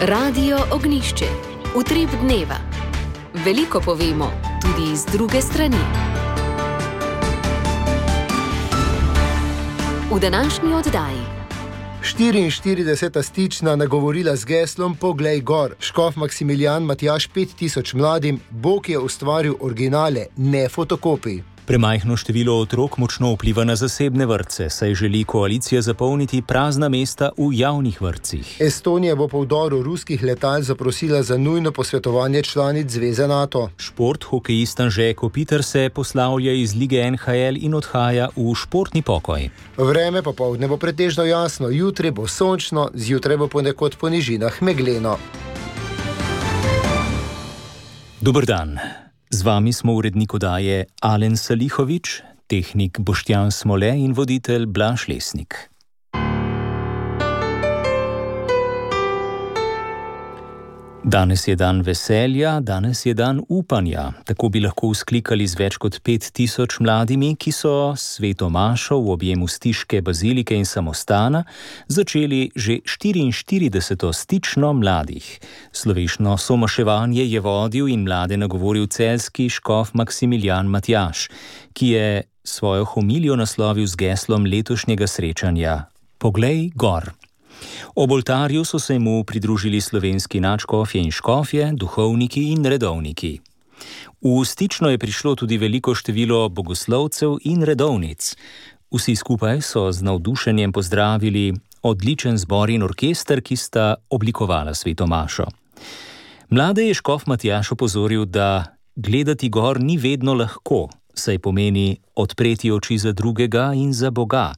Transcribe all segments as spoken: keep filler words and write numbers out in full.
Radio Ognjišče. Utrip dneva. Veliko povemo, tudi iz druge strani. V današnji oddaji. štiriinštirideseta stična nagovorila z geslom Poglej gor. Škof Maksimilijan Matjaž pet tisoč mladim, Bog je ustvaril originale, ne fotokopij. Premajhno število otrok močno vpliva na zasebne vrtce, saj želi koalicija zapolniti prazna mesta v javnih vrtcih. Estonija bo po vdoru ruskih letal zaprosila za nujno posvetovanje članic Zveze NATO. Šport, hokejist Anže Kopitar se poslavlja iz lige N H L in odhaja v športni pokoj. Vreme popoldne bo pretežno jasno, jutri bo sončno, zjutraj bo ponekod po nižinah megleno. Dober dan. Z vami smo urednik oddaje Alen Salihovič, tehnik Boštjan Smole in voditelj Blaž Lesnik. Danes je dan veselja, danes je dan upanja. Tako bi lahko vzklikali z več kot pet tisoč mladimi, ki so sveto mašo v objemu Stiške bazilike in samostana začeli že štiriinštirideseto stično mladih. Slovešno somaševanje je vodil in mlade nagovoril celjski škof Maksimilijan Matjaž, ki je svojo homilijo naslovil z geslom letošnjega srečanja Poglej gor. Ob oltarju so se mu pridružili slovenski nadškofje in škofje, duhovniki in redovniki. V stično je prišlo tudi veliko število bogoslovcev in redovnic. Vsi skupaj so z navdušenjem pozdravili odličen zbor in orkester, ki sta oblikovala sveto mašo. Mlade je škof Matjaž opozoril, da gledati gor ni vedno lahko, saj pomeni odpreti oči za drugega in za Boga,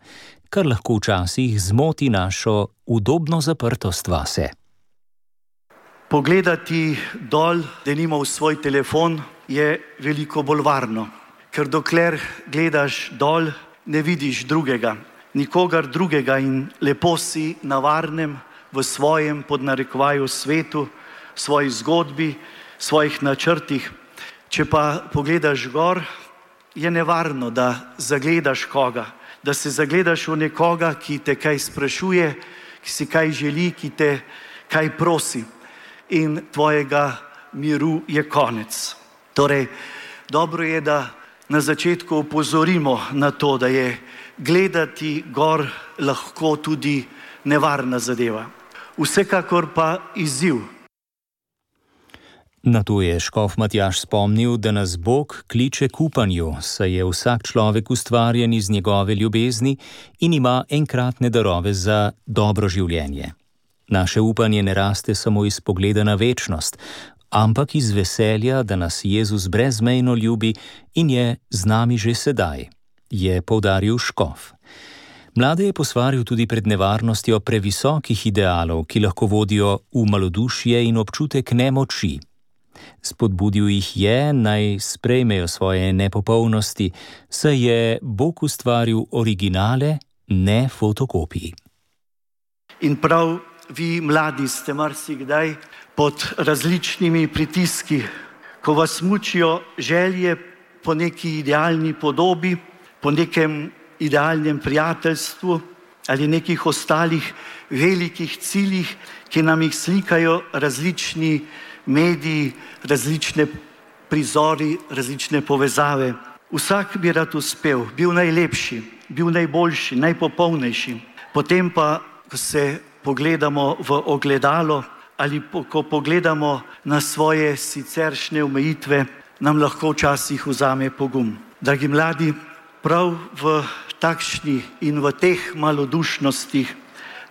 kar lahko včasih zmoti našo udobno zaprtost vase. Pogledati dol, denimo v svoj telefon, je veliko bolj varno, ker dokler gledaš dol, ne vidiš drugega, nikogar drugega in lepo si na varnem v svojem podnarekovaju svetu, svoji zgodbi, svojih načrtih. Če pa pogledaš gor, je nevarno, da zagledaš koga, da se zagledaš v nekoga, ki te kaj sprašuje, ki si kaj želi, ki te kaj prosi in tvojega miru je konec. Torej, dobro je, da na začetku opozorimo na to, da je gledati gor lahko tudi nevarna zadeva. Vsekakor pa izziv. Na to je škof Matjaž spomnil, da nas Bog kliče k upanju, saj je vsak človek ustvarjen iz njegove ljubezni in ima enkratne darove za dobro življenje. Naše upanje ne raste samo iz pogleda na večnost, ampak iz veselja, da nas Jezus brezmejno ljubi in je z nami že sedaj, je poudaril škof. Mlade je posvaril tudi pred nevarnostjo previsokih idealov, ki lahko vodijo v malodušje in občutek nemoči. Spodbudil jih je, naj sprejmejo svoje nepopolnosti, saj je Bog ustvaril originale, ne fotokopiji. In prav vi, mladi, ste marsikdaj pod različnimi pritiski, ko vas mučijo želje po neki idealni podobi, po nekem idealnem prijateljstvu ali nekih ostalih velikih ciljih, ki nam jih slikajo različni mediji, različne prizori, različne povezave. Vsak bi rad uspel, bil najlepši, bil najboljši, najpopolnejši. Potem pa, ko se pogledamo v ogledalo ali po, ko pogledamo na svoje siceršnje omejitve, nam lahko včasih vzame pogum. Dragi mladi, prav v takšni in v teh malodušnostih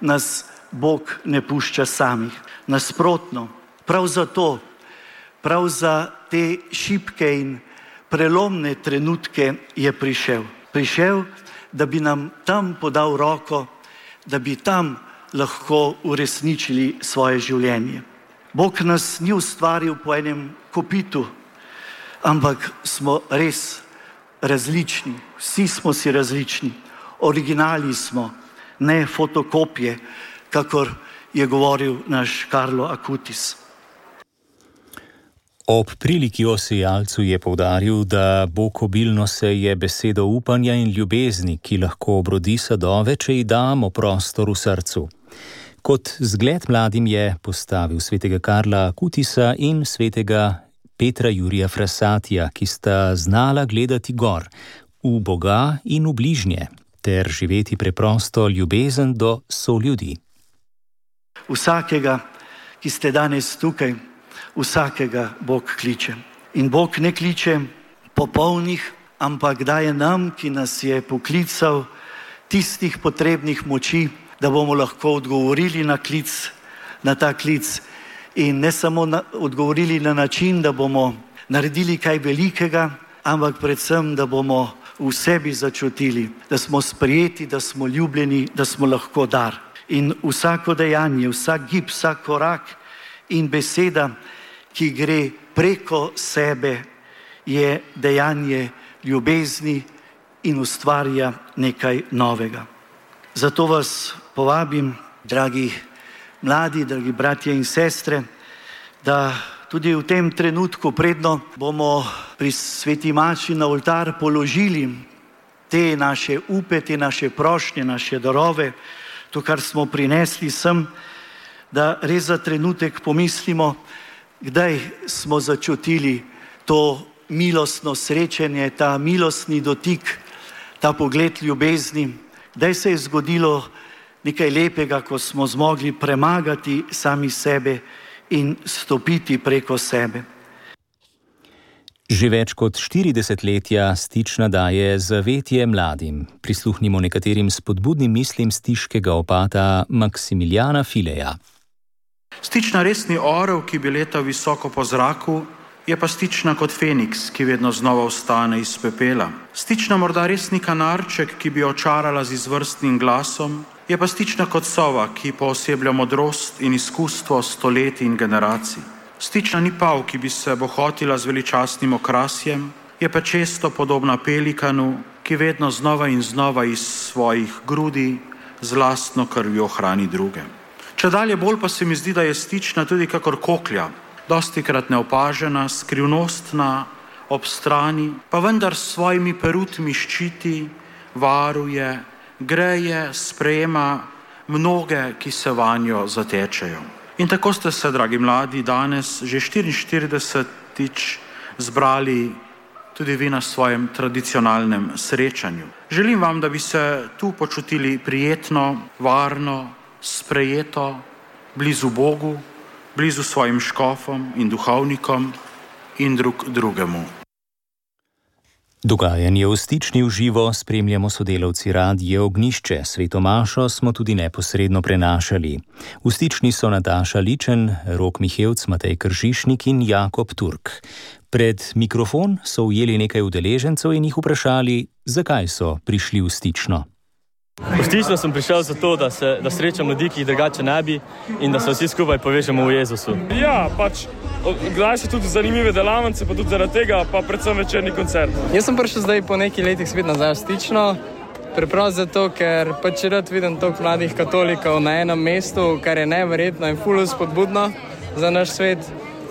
nas Bog ne pušča samih. Nasprotno, prav zato, prav za te šibke in prelomne trenutke je prišel. Prišel, da bi nam tam podal roko, da bi tam lahko uresničili svoje življenje. Bog nas ni ustvaril po enem kopitu, ampak smo res različni. Vsi smo si različni. Originali smo, ne fotokopije, kakor je govoril naš Karlo Acutis. Ob priliki o sejalcu je poudaril, da Bog obilno seje besedo upanja in ljubezni, ki lahko obrodi sadove, če ji damo prostor v srcu. Kot zgled mladim je postavil svetega Karla Kutisa in svetega Petra Jurija Frassatija, ki sta znala gledati gor, v Boga in v bližnje, ter živeti preprosto ljubezen do soljudi. Vsakega, ki ste danes tukaj, vsakega Bog kliče. In Bog ne kliče popolnih, ampak daje nam, ki nas je poklical, tistih potrebnih moči, da bomo lahko odgovorili na klic, na ta klic. In ne samo na, odgovorili na način, da bomo naredili kaj velikega, ampak predvsem, da bomo v sebi začutili, da smo sprejeti, da smo ljubljeni, da smo lahko dar. In vsako dejanje, vsak gib, vsak korak in beseda, ki gre preko sebe, je dejanje ljubezni in ustvarja nekaj novega. Zato vas povabim, dragi mladi, dragi bratje in sestre, da tudi v tem trenutku, predno bomo pri sveti maši na oltar položili te naše upe, te naše prošnje, naše darove, to, kar smo prinesli sem, da res za trenutek pomislimo, kdaj smo začutili to milostno srečanje, ta milostni dotik, ta pogled ljubezni, kdaj se je zgodilo nekaj lepega, ko smo zmogli premagati sami sebe in stopiti preko sebe. Že več kot štiri desetletja Stična daje zavetje mladim. Prisluhnimo nekaterim spodbudnim mislim stiškega opata Maksimiljana Fileja. Stična res ni orel, ki bi letal visoko po zraku, je pa Stična kot Feniks, ki vedno znova vstane iz pepela. Stična morda res ni kanarček, ki bi očarala z izvrstnim glasom, je pa Stična kot sova, ki pooseblja modrost in izkustvo stoletij in generacij. Stična ni pav, ki bi se bohotila z veličastnim okrasjem, je pa često podobna pelikanu, ki vedno znova in znova iz svojih grudi z lastno krvjo hrani druge. Čedalje bolj pa se mi zdi, da je Stična tudi kakor koklja, dostikrat neopažena, skrivnostna, ob strani, pa vendar s svojimi perutmi ščiti, varuje, greje, sprejema mnoge, ki se vanjo zatečejo. In tako ste se, dragi mladi, danes že štiriinštiridesetič zbrali tudi vi na svojem tradicionalnem srečanju. Želim vam, da bi se tu počutili prijetno, varno, sprejeto, blizu Bogu, blizu svojim škofom in duhovnikom in drug drugemu. Dogajanje v Stični v živo spremljamo sodelavci Radie Ognjišče. Sveto mašo smo tudi neposredno prenašali. V Stični so Nataša Ličen, Rok Mihevc, Matej Kržišnik in Jakob Turk. Pred mikrofon so ujeli nekaj udeležencev in jih vprašali, zakaj so prišli v Stično. V Stično sem prišel zato, da, se, da srečam ljudi, ki jih drugače ne bi in da se vsi skupaj povežemo v Jezusu. Ja, pač gledaš tudi zanimive delavnice, pa tudi zaradi tega, pa predvsem večerni koncert. Jaz sem prišel zdaj po nekaj letih spet nazaj v Stično, preprosto zato, ker pač rad vidim toliko mladih katolikov na enem mestu, kar je neverjetno in ful spodbudno za naš svet.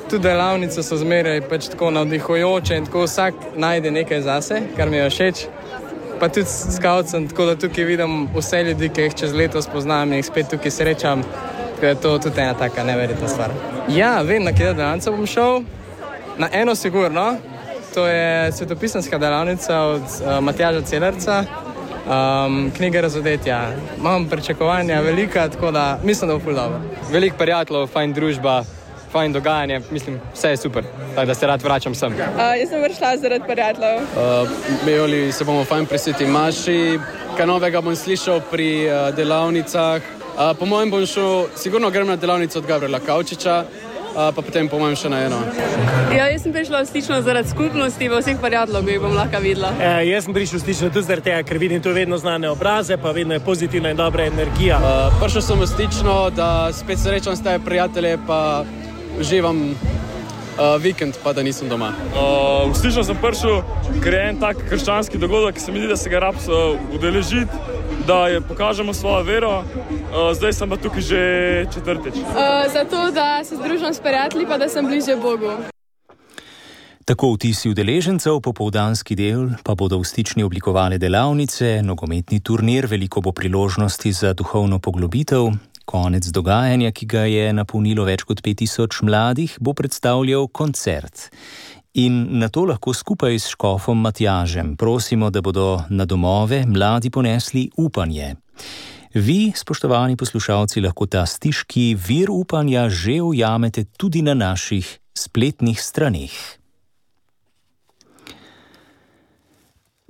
Tudi delavnice so zmeraj pač tako navdihujoče in tako vsak najde nekaj zase, kar mi je všeč. Pa tudi skavcem, tako da tukaj vidim vse ljudi, ki jih čez leto spoznam in jih spet tukaj srečam, tako je to tudi ena taka neverjetna stvar. Ja, vem, na kje delavnica bom šel. Na eno sigurno, to je svetopisanska delavnica od uh, Matjaža Celerca, um, knjiga Razodetja. Imam pričakovanja velika, tako da mislim, da bo ful dobro. Veliko prijateljev, fajn družba, fajn dogajanje, mislim, vse je super, tako da se rad vračam sem. Uh, jaz sem prišla zaradi prijateljev. Uh, Bejoli se bomo fajn pri sveti maši, kaj novega bom slišal pri uh, delavnicah. Uh, po mojem bom šel, sigurno grem na delavnico od Gabriela Kavčiča, uh, pa potem po mojem še na eno. Ja, jaz sem prišla v Stično zaradi skupnosti, v vseh prijateljev bi bom lahko videla. E, jaz sem prišel v Stično tudi zaradi tega, ker vidim tu vedno znane obraze, pa vedno je pozitivna in dobra energija. Uh, prišel sem v Stično, da spet srečam s tebi prijatelje, pa uživam uh, vikend, pa da nisem doma. Uh, v Stično sem prišel, ker je en tak krščanski dogodek, ki se mi zdi, da se ga rab uh, udeležiti, da je, pokažemo svojo vero. Uh, zdaj sem pa tukaj že četrtič. Uh, zato, da se združim s prijatelji, pa da sem bližje Bogu. Tako vtisi udeležencev, popoldanski del pa bodo v Stični oblikovale delavnice, nogometni turnir, veliko bo priložnosti za duhovno poglobitev. Konec dogajanja, ki ga je napolnilo več kot pet tisoč mladih, bo predstavljal koncert. In na to lahko skupaj s škofom Matjažem prosimo, da bodo na domove mladi ponesli upanje. Vi, spoštovani poslušalci, lahko ta stiški vir upanja že ujamete tudi na naših spletnih straneh.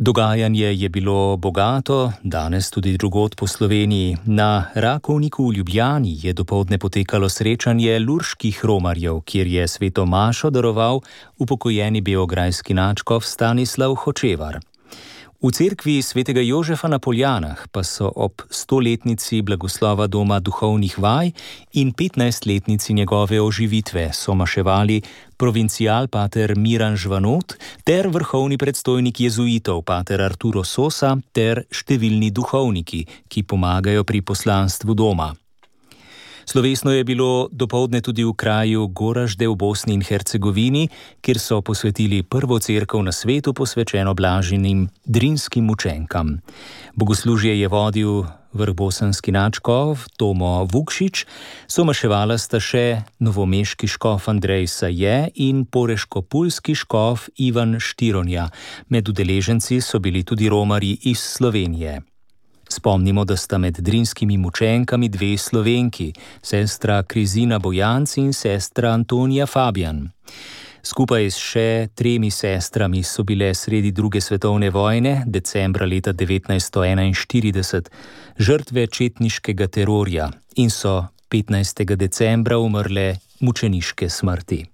Dogajanje je bilo bogato, danes tudi drugod po Sloveniji. Na Rakovniku v Ljubljani je dopoldne potekalo srečanje lurških romarjev, kjer je sveto mašo daroval upokojeni beograjski nadškof Stanislav Hočevar. V cerkvi svetega Jožefa na Poljanah pa so ob stoletnici blagoslova doma duhovnih vaj in petnajstletnici njegove oživitve somaševali provincial pater Miran Žvanot ter vrhovni predstojnik jezuitov pater Arturo Sosa ter številni duhovniki, ki pomagajo pri poslanstvu doma. Slovesno je bilo dopoldne tudi v kraju Goražde v Bosni in Hercegovini, kjer so posvetili prvo cerkev na svetu posvečeno blaženim drinskim mučenkam. Bogoslužje je vodil vrhbosanski nadškof Tomo Vukšič, somaševala sta še novomeški škof Andrej Saje in poreško-pulski škof Ivan Štironja. Med udeleženci so bili tudi romarji iz Slovenije. Spomnimo, da sta med drinskimi mučenkami dve Slovenki, sestra Krizina Bojanc in sestra Antonija Fabijan. Skupaj s še tremi sestrami so bile sredi druge svetovne vojne, decembra leta devetnajststo enainštirideset, žrtve četniškega terorja in so petnajstega decembra umrle mučeniške smrti.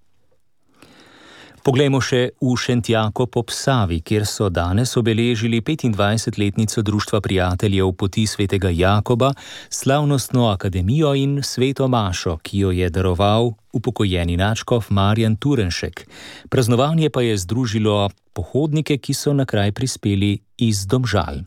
Poglejmo še v Šentjakov ob Savi, kjer so danes obeležili petindvajsetletnico Društva prijateljev poti svetega Jakoba, slavnostno akademijo in sveto mašo, ki jo je daroval upokojeni nadškof Marjan Turenšek. Praznovanje pa je združilo pohodnike, ki so na kraj prispeli iz Domžal.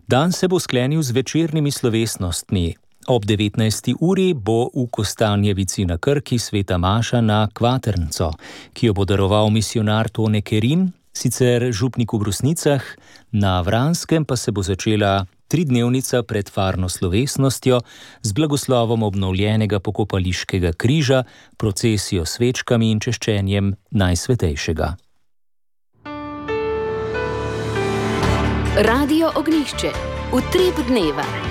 Dan se bo sklenil z večernimi slovesnostmi. Ob devetnajsti uri bo v Kostanjevici na Krki sveta maša na Kvatrnco, ki jo bo daroval misionar Tone Kerin, sicer župnik v Brusnicah, na Vranskem pa se bo začela tridnevnica pred farno slovesnostjo z blagoslovom obnovljenega pokopališkega križa, procesijo s svečkami in češčenjem Najsvetejšega. Radio Ognjišče. Utrip dneva.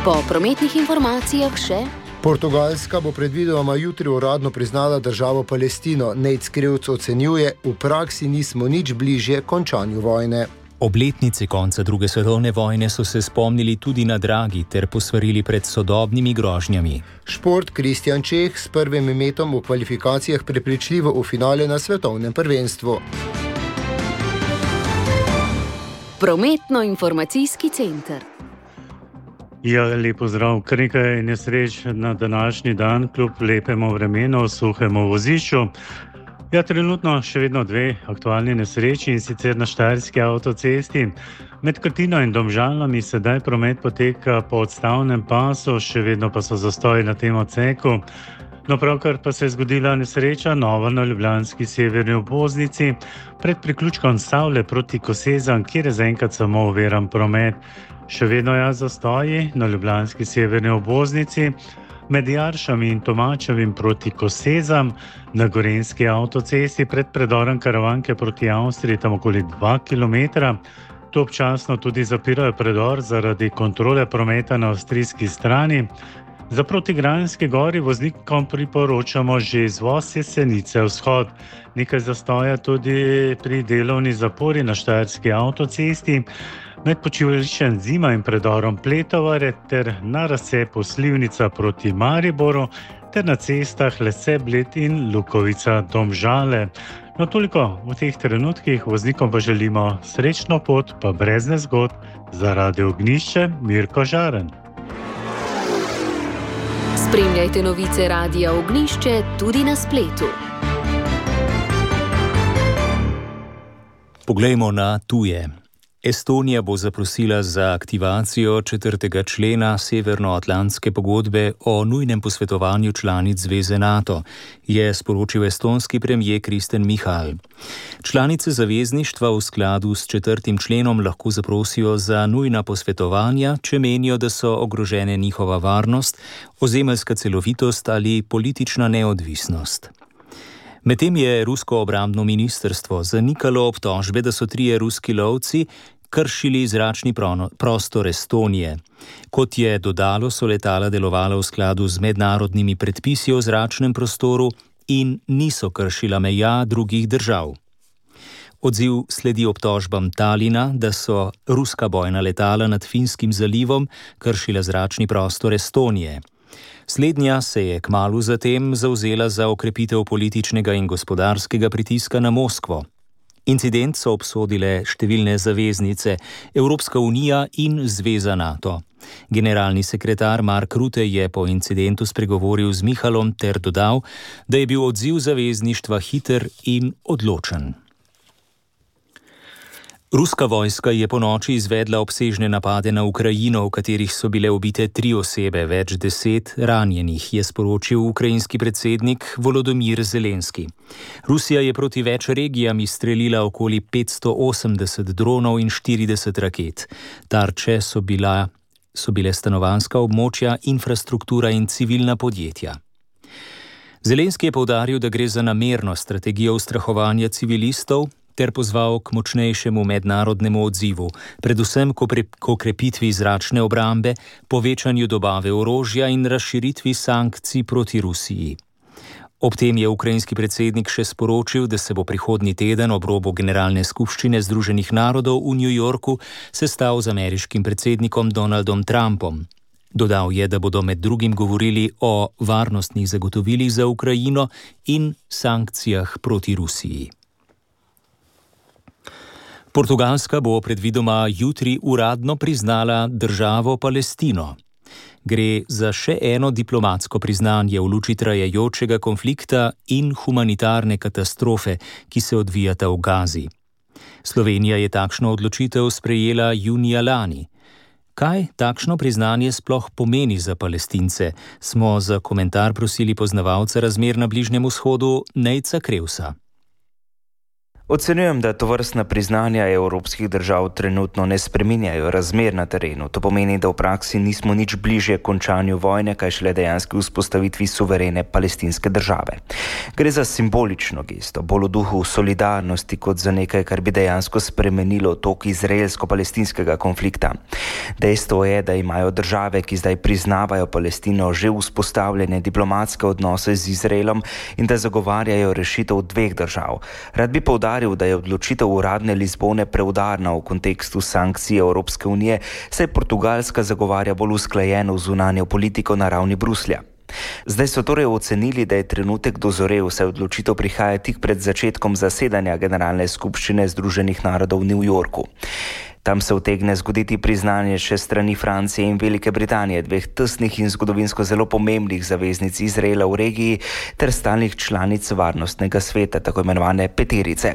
Po prometnih informacijah še... Portugalska bo predvidoma jutri uradno priznala državo Palestino. Nejc Krivc ocenjuje, v praksi nismo nič bližje končanju vojne. Obletnice konca druge svetovne vojne so se spomnili tudi na Dragi ter posvarili pred sodobnimi grožnjami. Šport Kristjan Čeh s prvim metom v kvalifikacijah prepričljivo v finale na svetovnem prvenstvu. Prometno-informacijski center. Ja, lepo zdrav. Kar nekaj nesreč na današnji dan, kljub lepemu vremenu, suhemu vozišču. Ja, trenutno še vedno dve aktualni nesreči in sicer na Štajerski avtocesti. Med Krtino in Domžalami sedaj promet poteka po odstavnem pasu, še vedno pa so zastoji na tem odseku. No, pravkar pa se je zgodila nesreča nova na ljubljanski severni obvoznici pred priključkom Savle proti Kosezam, kjer je zaenkrat samo oviran promet. Še vedno je zastoji na ljubljanski severni obvoznici med Jaršami in Tomačevim proti Kosezam, na Gorenjski avtocesti pred predorom Karavanke proti Avstriji tam okoli dva kilometra. Tu občasno tudi zapirajo predor zaradi kontrole prometa na avstrijski strani. Za proti Kranjski Gori voznikom priporočamo že izvoz Jesenice vzhod. Nekaj zastoja tudi pri delovni zapori na Štajerski avtocesti med počivališčem Zima in predorom Pletovare ter na razcepu Slivnica proti Mariboru ter na cestah Lese, Bled in Lukovica Domžale. No, toliko v teh trenutkih, voznikom pa želimo srečno pot, pa brez nezgod. Za Radio Ognjišče, Mirko Žaren. Spremljajte novice Radia Ognjišče tudi na spletu. Poglejmo na tuje. Estonija bo zaprosila za aktivacijo četrtega člena Severnoatlantske pogodbe o nujnem posvetovanju članic Zveze NATO, je sporočil estonski premijer Kristen Michal. Članice zavezništva v skladu s četrtim členom lahko zaprosijo za nujna posvetovanja, če menijo, da so ogrožene njihova varnost, ozemeljska celovitost ali politična neodvisnost. Medtem je rusko obrambno ministrstvo zanikalo obtožbe, da so trije ruski lovci kršili zračni prostor Estonije. Kot je dodalo, so letala delovala v skladu z mednarodnimi predpisi o zračnem prostoru in niso kršila meja drugih držav. Odziv sledi obtožbam Talina, da so ruska bojna letala nad Finskim zalivom kršila zračni prostor Estonije. Slednja se je kmalu zatem zavzela za okrepitev političnega in gospodarskega pritiska na Moskvo. Incident so obsodile številne zaveznice, Evropska unija in Zveza NATO. Generalni sekretar Mark Rutte je po incidentu spregovoril z Michalom ter dodal, da je bil odziv zavezništva hiter in odločen. Ruska vojska je ponoči izvedla obsežne napade na Ukrajino, v katerih so bile ubite tri osebe, več deset ranjenih, je sporočil ukrajinski predsednik Volodymyr Zelenski. Rusija je proti več regijam izstrelila okoli petsto osemdeset dronov in štirideset raket. Tarče so, bila, so bile stanovanjska območja, infrastruktura in civilna podjetja. Zelenski je poudaril, da gre za namerno strategijo ustrahovanja civilistov, ter pozval k močnejšemu mednarodnemu odzivu, predvsem k okrepitvi zračne obrambe, povečanju dobave orožja in razširitvi sankcij proti Rusiji. Ob tem je ukrajinski predsednik še sporočil, da se bo prihodnji teden ob robu Generalne skupščine Združenih narodov v New Yorku sestal z ameriškim predsednikom Donaldom Trumpom. Dodal je, da bodo med drugim govorili o varnostnih zagotovilih za Ukrajino in sankcijah proti Rusiji. Portugalska bo predvidoma jutri uradno priznala državo Palestino. Gre za še eno diplomatsko priznanje v luči trajajočega konflikta in humanitarne katastrofe, ki se odvijata v Gazi. Slovenija je takšno odločitev sprejela junija lani. Kaj takšno priznanje sploh pomeni za Palestince, smo za komentar prosili poznavalca razmer na Bližnjem vzhodu Nejca Krevsa. Ocenjujem, da tovrstna priznanja evropskih držav trenutno ne spreminjajo razmer na terenu. To pomeni, da v praksi nismo nič bližje končanju vojne, kaj šele dejanski vzpostavitvi suverene palestinske države. Gre za simbolično gesto, bolj v duhu solidarnosti kot za nekaj, kar bi dejansko spremenilo tok izraelsko-palestinskega konflikta. Dejstvo je, da imajo države, ki zdaj priznavajo Palestino, že vzpostavljene diplomatske odnose z Izraelom in da zagovarjajo rešitev dveh držav. Rad bi poudaril, da je odločitev uradne Lizbone preudarna v kontekstu sankcij Evropske unije, saj Portugalska zagovarja bolj usklajeno zunanjo politiko na ravni Bruslja. Zdaj so torej ocenili, da je trenutek dozorel, saj odločitev prihaja tik pred začetkom zasedanja Generalne skupščine Združenih narodov v New Yorku. Tam se utegne zgoditi priznanje še strani Francije in Velike Britanije, dveh tesnih in zgodovinsko zelo pomembnih zaveznic Izraela v regiji ter stalnih članic varnostnega sveta, tako imenovane peterice.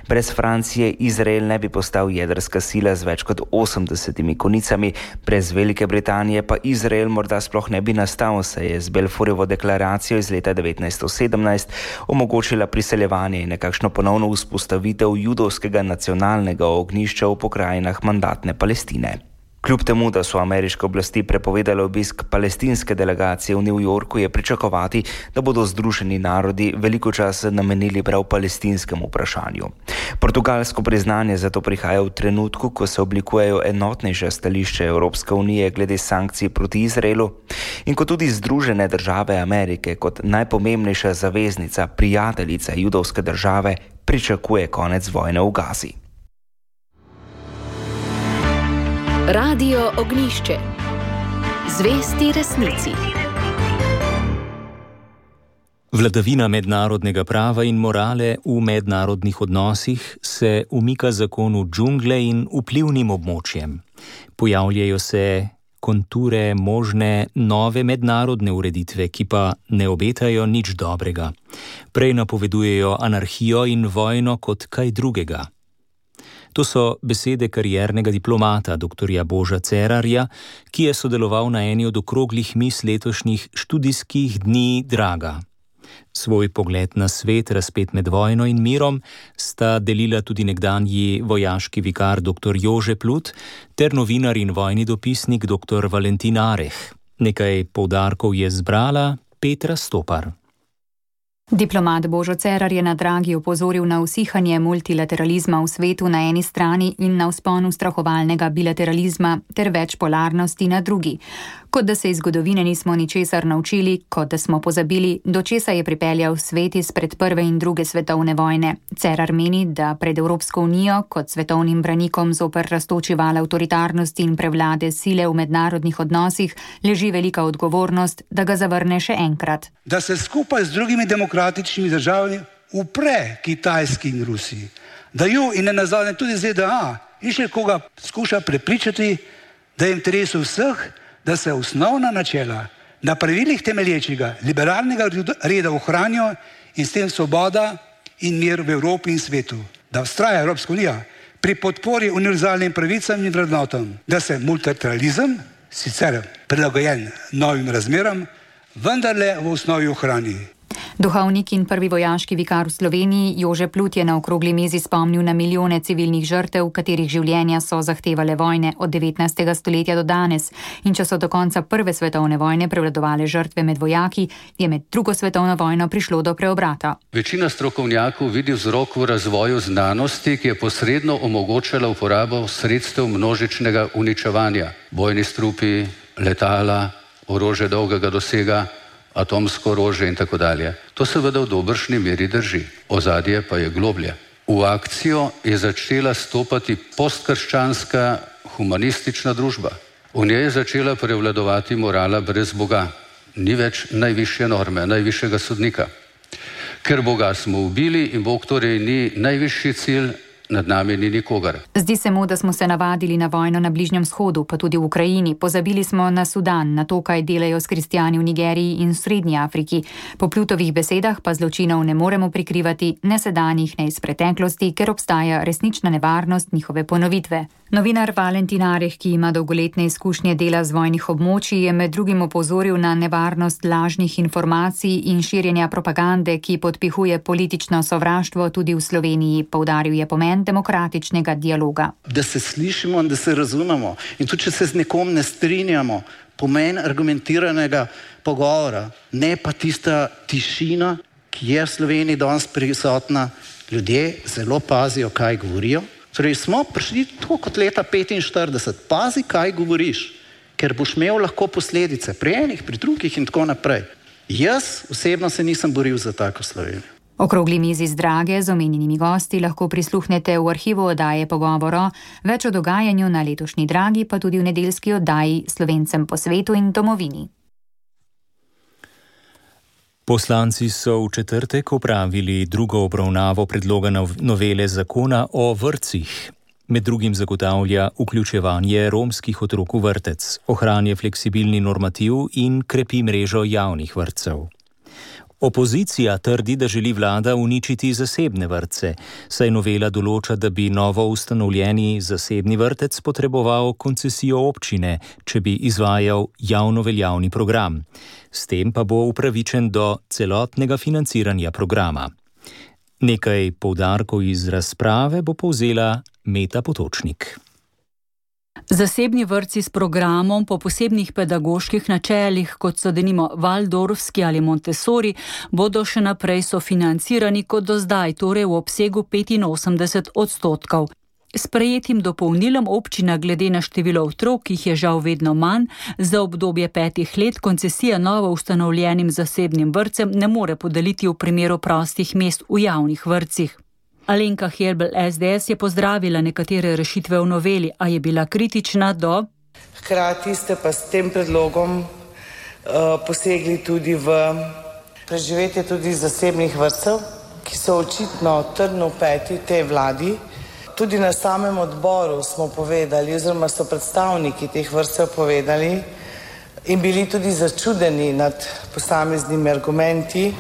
Brez Francije Izrael ne bi postal jedrska sila z več kot osemdesetimi konicami, brez Velike Britanije pa Izrael morda sploh ne bi nastal, saj je z Balfourjevo deklaracijo iz leta devetnajststo sedemnajst omogočila priseljevanje in nekakšno ponovno vzpostavitev judovskega nacionalnega ognjišča v pokrajinah mandatne Palestine. Kljub temu, da so ameriške oblasti prepovedale obisk palestinske delegacije v New Yorku, je pričakovati, da bodo Združeni narodi veliko časa namenili prav palestinskemu vprašanju. Portugalsko priznanje zato prihaja v trenutku, ko se oblikujejo enotnejše stališče Evropske unije glede sankcij proti Izraelu in ko tudi Združene države Amerike kot najpomembnejša zaveznica, prijateljica judovske države pričakuje konec vojne v Gazi. Radio Ognjišče. Zvesti resnici. Vladavina mednarodnega prava in morale v mednarodnih odnosih se umika zakonu džungle in vplivnim območjem. Pojavljajo se konture možne nove mednarodne ureditve, ki pa ne obetajo nič dobrega. Prej napovedujejo anarhijo in vojno kot kaj drugega. To so besede kariernega diplomata dr. Boža Cerarja, ki je sodeloval na eni od okroglih miz letošnjih študijskih dni Draga. Svoj pogled na svet, razpet med vojno in mirom, sta delila tudi nekdanji vojaški vikar dr. Jože Plut ter novinar in vojni dopisnik dr. Valentin Areh. Nekaj poudarkov je zbrala Petra Stopar. Diplomat Božo Cerar je na Dragi opozoril na usihanje multilateralizma v svetu na eni strani in na vzponu strahovalnega bilateralizma ter večpolarnosti na drugi. Kot da se iz zgodovine nismo ničesar naučili, kot da smo pozabili, do česa je pripeljal svet izpred prve in druge svetovne vojne. Cerar meni, da pred Evropsko unijo kot svetovnim branikom zoper rastoči val avtoritarnosti in prevlade sile v mednarodnih odnosih leži velika odgovornost, da ga zavrne še enkrat. Da se skupaj z drugimi demokratičnimi državami upre Kitajski in Rusiji, da ju in ne nazadnje tudi Z D A in še koga skuša prepričati, da je v interesu vseh, da se osnovna načela na pravilih temelječega liberalnega reda ohranijo in s tem svoboda in mir v Evropi in svetu. Da vztraja Evropska unija pri podpori univerzalnim pravicam in vrednotam, da se multilateralizem, sicer prilagojen novim razmeram, vendarle v osnovi ohrani. Duhovnik in prvi vojaški vikar v Sloveniji Jože Plut je na okrogli mizi spomnil na milijone civilnih žrtev, katerih življenja so zahtevale vojne od devetnajstega stoletja do danes. In če so do konca prve svetovne vojne prevladovale žrtve med vojaki, je med drugo svetovno vojno prišlo do preobrata. Večina strokovnjakov vidi vzrok v razvoju znanosti, ki je posredno omogočala uporabo sredstev množičnega uničevanja. Bojni strupi, letala, orožje dolgega dosega, atomsko orožje in tako dalje. To seveda v dobršni meri drži. Ozadje pa je globlje. V akcijo je začela stopati postkrščanska humanistična družba. V njej je začela prevladovati morala brez Boga. Ni več najvišje norme, najvišjega sodnika. Ker Boga smo ubili in Bog torej ni najvišji cilj, nad nami ni nikogar. Zdi se mu, da smo se navadili na vojno na Bližnjem vzhodu, pa tudi v Ukrajini. Pozabili smo na Sudan, na to, kaj delajo s kristjani v Nigeriji in v Srednji Afriki. Po Plutovih besedah pa zločinov ne moremo prikrivati, ne sedanjih, ne iz preteklosti, ker obstaja resnična nevarnost njihove ponovitve. Novinar Valentin Areh, ki ima dolgoletne izkušnje dela z vojnih območij, je med drugim opozoril na nevarnost lažnih informacij in širjenja propagande, ki podpihuje politično sovraštvo tudi v Sloveniji. Poudaril je pomen demokratičnega dialoga. Da se slišimo in da se razumemo. In tudi, če se z nekom ne strinjamo, pomen argumentiranega pogovora, ne pa tista tišina, ki je v Sloveniji danes prisotna. Ljudje zelo pazijo, kaj govorijo. Torej smo prišli tako kot leta petinštirideset. Pazi, kaj govoriš, ker boš imel lahko posledice pri enih, pri drugih in tako naprej. Jaz osebno se nisem boril za tako Slovenijo. Okrogli mizi z Drage z omenjenimi gosti lahko prisluhnete v arhivu oddaje Pogovoro. Več o dogajanju na letošnji Dragi pa tudi v nedeljski oddaji Slovencem po svetu in domovini. Poslanci so v četrtek opravili drugo obravnavo predloga novele zakona o vrtcih. Med drugim zagotavlja vključevanje romskih otrok v vrtec, ohranja fleksibilni normativ in krepi mrežo javnih vrtcev. Opozicija trdi, da želi vlada uničiti zasebne vrtce, saj novela določa, da bi novo ustanovljeni zasebni vrtec potreboval koncesijo občine, če bi izvajal javno veljavni program. S tem pa bo upravičen do celotnega financiranja programa. Nekaj poudarkov iz razprave bo povzela Meta Potočnik. Zasebni vrtci s programom po posebnih pedagoških načelih, kot so denimo Waldorfski ali Montessori, bodo še naprej sofinancirani kot do zdaj, torej v obsegu petinosemdeset odstotkov. S prejetim dopolnilom občina glede na število otrok, ki jih je žal vedno manj, za obdobje petih let koncesija novo ustanovljenim zasebnim vrtcem ne more podeliti v primeru prostih mest v javnih vrtcih. Alenka Helbl S D S je pozdravila nekatere rešitve v noveli, a je bila kritična do... Hkrati ste pa s tem predlogom uh, posegli tudi v preživetje tudi zasebnih vrtcev, ki so očitno trdno vpeti tej vladi. Tudi na samem odboru smo povedali, oziroma so predstavniki teh vrtcev povedali in bili tudi začudeni nad posameznimi argumenti,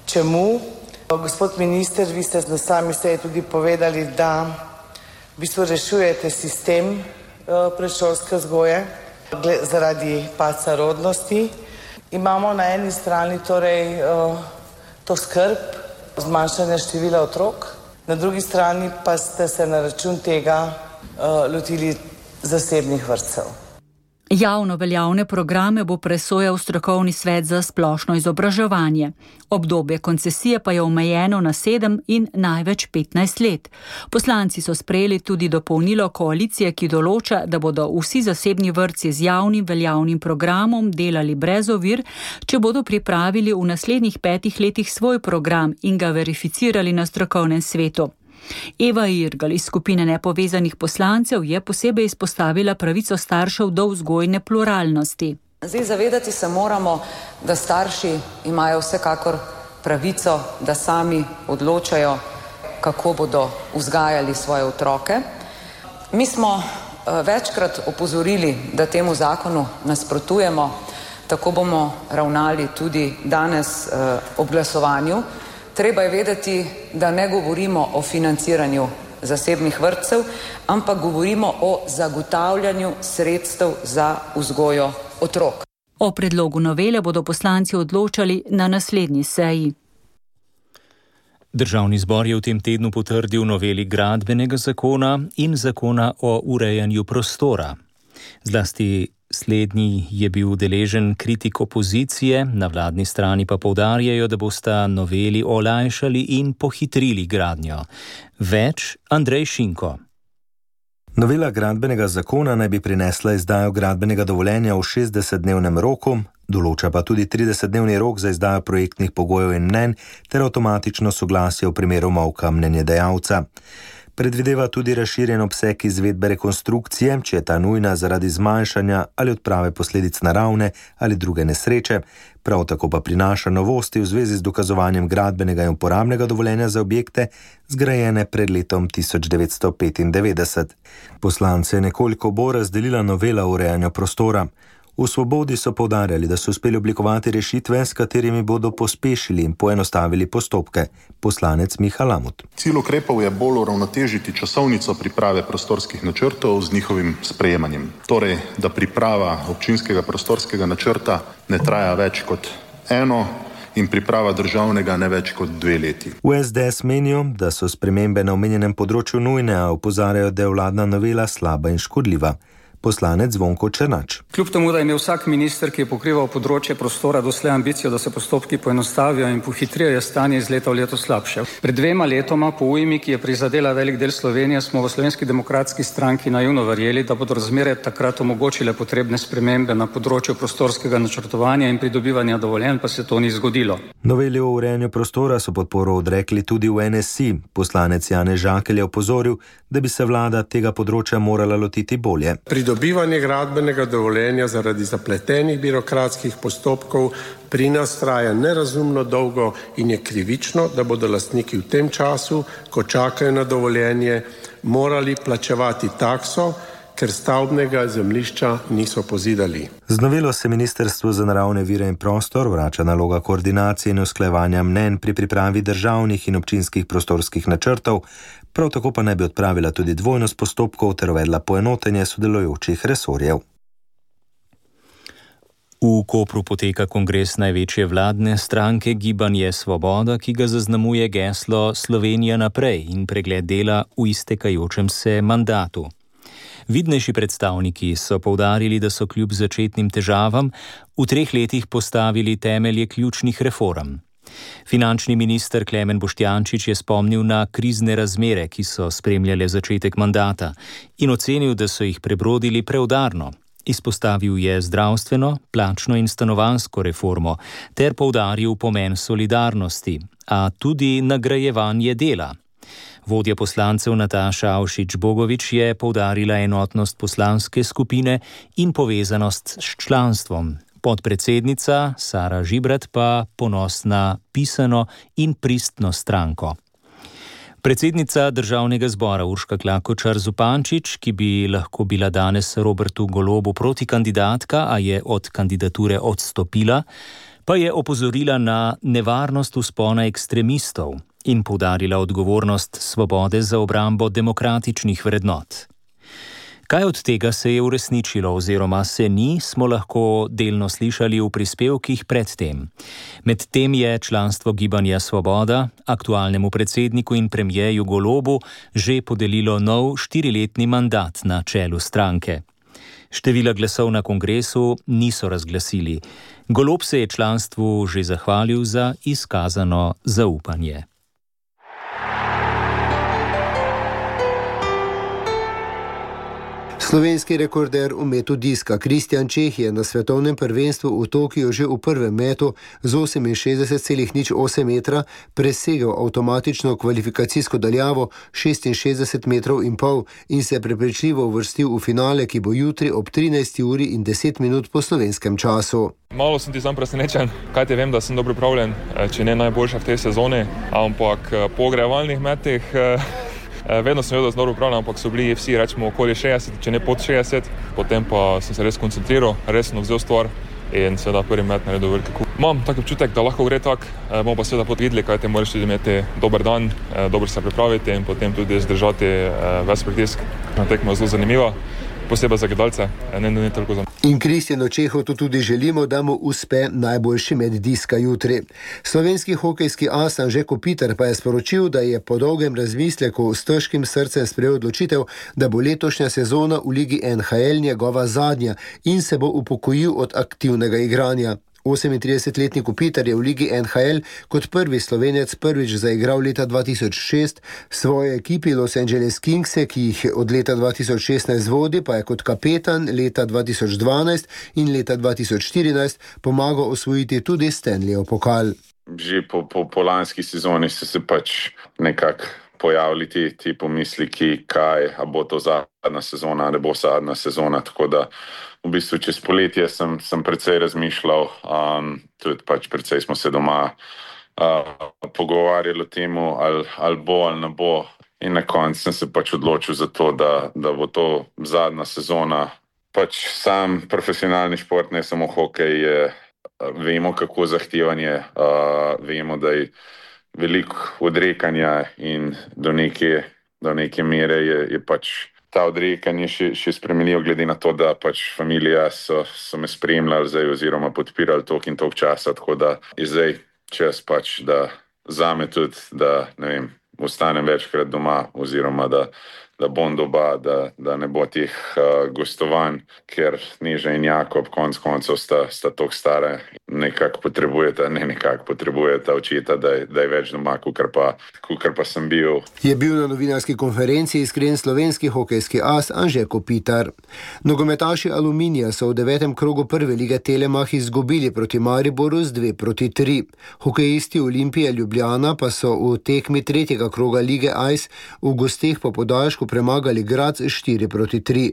čemu. Gospod minister, vi ste na sami seji tudi povedali, da v bistvu rešujete sistem predšolske vzgoje zaradi padca rodnosti. Imamo na eni strani torej to skrb, zmanjšanje števila otrok, na drugi strani pa ste se na račun tega lotili zasebnih vrtcev. Javno veljavne programe bo presojal strokovni svet za splošno izobraževanje. Obdobje koncesije pa je omejeno na sedem in največ petnajst let. Poslanci so sprejeli tudi dopolnilo koalicije, ki določa, da bodo vsi zasebni vrtci z javnim veljavnim programom delali brez ovir, če bodo pripravili v naslednjih petih letih svoj program in ga verificirali na strokovnem svetu. Eva Irgl iz skupine nepovezanih poslancev je posebej izpostavila pravico staršev do vzgojne pluralnosti. Zdaj zavedati se moramo, da starši imajo vsekakor pravico, da sami odločajo, kako bodo vzgajali svoje otroke. Mi smo večkrat opozorili, da temu zakonu nasprotujemo, tako bomo ravnali tudi danes ob glasovanju. Treba je vedeti, da ne govorimo o financiranju zasebnih vrtcev, ampak govorimo o zagotavljanju sredstev za vzgojo otrok. O predlogu novele bodo poslanci odločali na naslednji seji. Državni zbor je v tem tednu potrdil noveli gradbenega zakona in zakona o urejanju prostora. Zlasti slednji je bil deležen kritik opozicije, na vladni strani pa poudarjajo, da bosta noveli olajšali in pohitrili gradnjo. Več Andrej Šinko. Novela gradbenega zakona naj bi prinesla izdajo gradbenega dovoljenja v šestdesetdnevnem roku, določa pa tudi tridesetdnevni rok za izdajo projektnih pogojev in mnenj ter avtomatično soglasje v primeru molka mnenjedajalca. Predvideva tudi razširjen obseg izvedbe rekonstrukcije, če je ta nujna zaradi zmanjšanja ali odprave posledic naravne ali druge nesreče, prav tako pa prinaša novosti v zvezi z dokazovanjem gradbenega in uporabnega dovoljenja za objekte, zgrajene pred letom tisoč devetsto petindevetdeset. Poslance je nekoliko bolj razdelila novela o urejanju prostora. V Svobodi so poudarjali, da so uspeli oblikovati rešitve, s katerimi bodo pospešili in poenostavili postopke. Poslanec Miha Lamut. Cilj ukrepov je bolj uravnotežiti časovnico priprave prostorskih načrtov z njihovim sprejemanjem. Torej, da priprava občinskega prostorskega načrta ne traja več kot eno in priprava državnega ne več kot dve leti. V S D S menijo, da so spremembe na omenjenem področju nujne, a opozarjajo, da je vladna novela slaba in škodljiva. Poslanec Zvonko Černač. Kljub temu, da je imel vsak minister, ki je pokrival področje prostora, doslej ambicijo, da se postopki poenostavijo in pohitrijo, je stanje iz leta v leto slabše. Pred dvema letoma, po ujmi, ki je prizadela velik del Slovenije, smo v Slovenski demokratski stranki naivno verjeli, da bodo razmere takrat omogočile potrebne spremembe na področju prostorskega načrtovanja in pridobivanja dovoljenj, pa se to ni zgodilo. Noveli o urejanju prostora so podporo odrekli tudi v N S I. Poslanec Janez Žakelj je opozoril, da bi se vlada tega področja morala lotiti bolje. Pridobivanje gradbenega dovoljenja zaradi zapletenih birokratskih postopkov pri nas traja nerazumno dolgo in je krivično, da bodo lastniki v tem času, ko čakajo na dovoljenje, morali plačevati takso, ker stavbnega zemljišča niso pozidali. Z novelo se Ministrstvu za naravne vire in prostor vrača naloga koordinacije in usklajevanja mnenj pri pripravi državnih in občinskih prostorskih načrtov, prav tako pa naj bi odpravila tudi dvojnost postopkov ter uvedla poenotenje sodelujočih resorjev. V Kopru poteka kongres največje vladne stranke Gibanje Svoboda, ki ga zaznamuje geslo Slovenija naprej in pregled dela v iztekajočem se mandatu. Vidnejši predstavniki so poudarili, da so kljub začetnim težavam v treh letih postavili temelje ključnih reform. Finančni minister Klemen Boštjančič je spomnil na krizne razmere, ki so spremljale začetek mandata in ocenil, da so jih prebrodili preudarno. Izpostavil je zdravstveno, plačno in stanovanjsko reformo ter poudaril pomen solidarnosti, a tudi nagrajevanje dela. Vodja poslancev Nataša Avšič Bogovič je poudarila enotnost poslanske skupine in povezanost s članstvom. Podpredsednica Sara Žibrat pa ponos na pisano in pristno stranko. Predsednica Državnega zbora Urška Klakočar Zupančič, ki bi lahko bila danes Robertu Golobu protikandidatka, a je od kandidature odstopila, pa je opozorila na nevarnost vzpona ekstremistov. in poudarila odgovornost svobode za obrambo demokratičnih vrednot. Kaj od tega se je uresničilo oziroma se ni, smo lahko delno slišali v prispevkih predtem. Medtem je članstvo Gibanja Svoboda aktualnemu predsedniku in premijeju Golobu že podelilo nov štiriletni mandat na čelu stranke. Števila glasov na kongresu niso razglasili. Golob se je članstvu že zahvalil za izkazano zaupanje. Slovenski rekorder v metu diska Kristjan Čeh je na svetovnem prvenstvu v Tokiu že v prvem metu z oseminšestdeset celih nič osem metra presegel avtomatično kvalifikacijsko daljavo šestinšestdeset metrov in pol in se prepričljivo uvrstil v finale, ki bo jutri ob trinajsti uri in deset minut po slovenskem času. Malo sem ti sam presenečen, kaj te vem, da sem dobro pripravljen, če ne najboljša v tej sezoni, ampak po ogrevalnih metih vedno sem vedel, da sem dobro pripravljen, ampak so bili vsi, rečemo, okoli šestdeset, če ne pod šestdeset, potem pa sem se res koncentriral, resno vzel stvar in seveda prvi met naredil veliki kup. Imam tak občutek, da lahko gre tak, bomo pa seveda potvideli, kaj te moraš tudi imeti dober dan, dobro se pripraviti in potem tudi zdržati ves pritisk. Na tekmo je zelo zanimiva, posebej za gledalce, ne, ne, ne toliko za me. In Kristjanu Čehu to tudi želimo, da mu uspe najboljši med diska jutri. Slovenski hokejski as Anže Kopitar pa je sporočil, da je po dolgem razmisleku s težkim srcem sprejel odločitev, da bo letošnja sezona v ligi N H L njegova zadnja in se bo upokojil od aktivnega igranja. osemintridesetletni Kopitar je v ligi N H L kot prvi Slovenec prvič zaigral leta dva tisoč šest, svoje ekipi Los Angeles Kingse, ki jih od leta dva tisoč šestnajst vodi, pa je kot kapetan leta dva tisoč dvanajst in leta dva tisoč štirinajst pomagal osvojiti tudi Stanleyjev pokal. Že po, po, po lanski sezoni so se pač nekako pojavili ti, ti pomisliki, kaj, a bo to zadnja sezona, ne bo zadnja sezona, tako da v bistvu čez poletje sem, sem precej razmišljal, um, tudi pač precej smo se doma uh, pogovarjali o temu, ali, ali bo ali ne bo. In na koncu sem se pač odločil za to, da, da bo to zadnja sezona. Pač sam profesionalni šport, ne samo hokej, je, vemo, kako zahtevan je, uh, vemo, da je veliko odrekanja in do neke, do neke mere je, je pač ta odrekanje še, še spremenil, glede na to, da pač familija so, so me spremljali zdaj oziroma podpirali tok in tok časa, tako da je zdaj čas pač, da zame tudi, da ne vem, ostanem večkrat doma oziroma da, da bom doma, da, da ne bo teh uh, gostovanj, ker Neža in Jakob konc koncev sta, sta tok stare, nekako potrebujeta, ne nekako potrebujeta očeta, da je, da je več doma, kukar pa, kukar pa sem bil. Je bil na novinarski konferenci iskren slovenski hokejski as Anže Kopitar. Nogometaši Aluminija so v devetem krogu prve lige Telemach izgubili proti Mariboru z dve proti tri. Hokejisti Olimpije Ljubljana pa so v tekmi tretjega kroga lige Ice v gosteh po podaljšku premagali Graz štiri proti tri.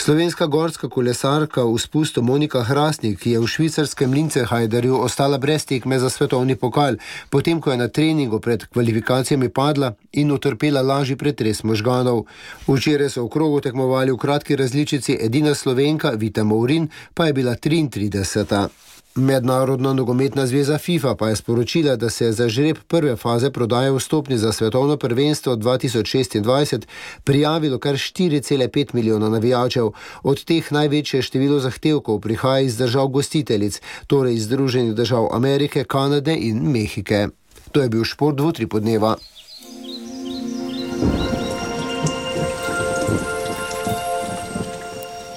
Slovenska gorska kolesarka v spustu Monika Hrastnik, ki je v švicarskem Linzenhajderju ostala brez tekme za svetovni pokal, potem ko je na treningu pred kvalifikacijami padla in utrpela lažji pretres možganov. Včeraj so v krogu tekmovali v kratki različici edina Slovenka Vita Mourin, pa je bila triintrideseta. Mednarodna nogometna zveza FIFA pa je sporočila, da se je za žreb prve faze prodaje vstopnic za svetovno prvenstvo dva tisoč šestindvajset prijavilo kar štiri cele pet milijona navijačev. Od teh največje število zahtevkov prihaja iz držav gostiteljic, torej iz Združenih držav Amerike, Kanade in Mehike. To je bil šport dvotripodneva.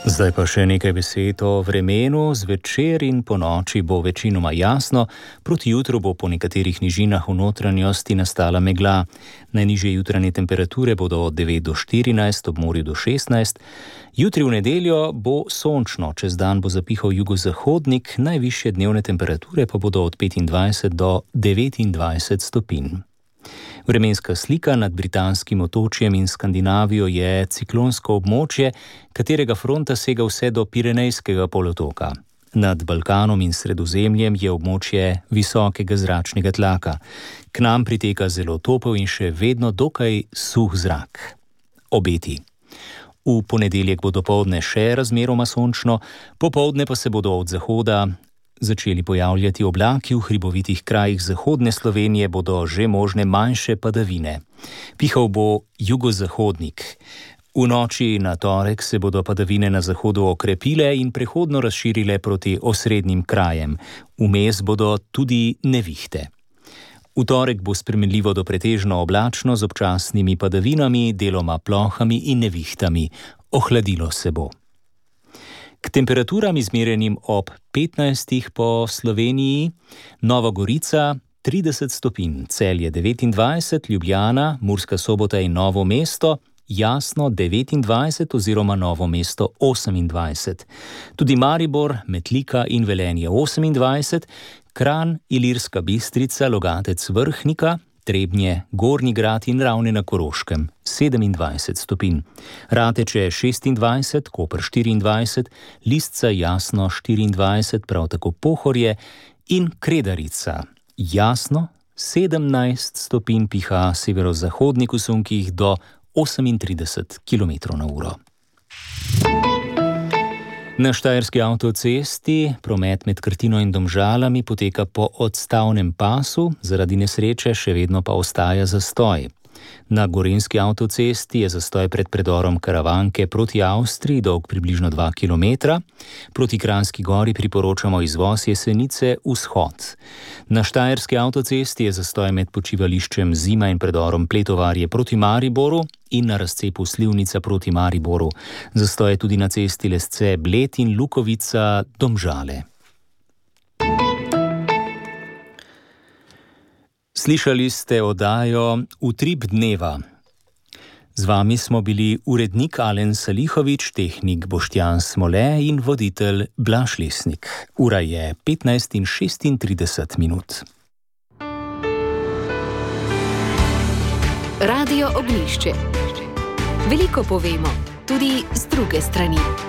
Zdaj pa še nekaj besed o vremenu. Zvečer in po noči bo večinoma jasno, proti jutru bo po nekaterih nižinah v notranjosti nastala megla. Najnižje jutranje temperature bodo od devet do štirinajst, ob morju do šestnajst. Jutri v nedeljo bo sončno, čez dan bo zapihal jugozahodnik, najvišje dnevne temperature pa bodo od petindvajset do devetindvajset stopinj. Vremenska slika nad britanskim otočjem in Skandinavijo je ciklonsko območje, katerega fronta sega vse do Pirenejskega polotoka. Nad Balkanom in Sredozemljem je območje visokega zračnega tlaka. K nam priteka zelo topel in še vedno dokaj suh zrak. Obeti. V ponedeljek bo dopoldne še razmeroma sončno, popoldne pa se bodo od zahoda začeli pojavljati oblaki, v hribovitih krajih zahodne Slovenije bodo že možne manjše padavine. Pihal bo jugozahodnik. V noči na torek se bodo padavine na zahodu okrepile in prehodno razširile proti osrednjim krajem. Vmes bodo tudi nevihte. V torek bo spremenljivo do pretežno oblačno z občasnimi padavinami, deloma plohami in nevihtami. Ohladilo se bo. K temperaturam izmerjenim ob petnajstih po Sloveniji: Nova Gorica trideset stopinj, Celje devetindvajset, Ljubljana, Murska Sobota in Novo mesto, Jasno devetindvajset oziroma Novo mesto osemindvajset. Tudi Maribor, Metlika in Velenje osemindvajset, Kranj, Ilirska Bistrica, Logatec, Vrhnika, Trebnje, Gornji Grad in Ravne na Koroškem sedemindvajset stopinj. Rateče šestindvajset, Koper štiriindvajset, Listca, Jasno štiriindvajset, prav tako Pohorje in Kredarica. Jasno sedemnajst stopinj, piha severozahodnik v sunkih do osemintrideset kilometrov na uro. Na štajerski avtocesti promet med Krtino in Domžalami poteka po odstavnem pasu, zaradi nesreče še vedno pa ostaja zastoj. Na gorenjski avtocesti je zastoj pred predorom Karavanke proti Avstriji, dolg približno dva kilometra. Proti Kranjski Gori priporočamo izvoz Jesenice vzhod. Na štajerski avtocesti je zastoj med počivališčem Zima in predorom Pletovarje proti Mariboru in na razcepu Slivnica proti Mariboru. Zastoj je tudi na cesti Lesce Bled in Lukovica Domžale. Slišali ste oddajo Utrip dneva. Z vami smo bili urednik Alen Salihovič, tehnik Boštjan Smole in voditelj Blaž Lesnik. Ura je petnajst in šestintrideset minut. Radio Oglišče. Veliko povemo, tudi z druge strani.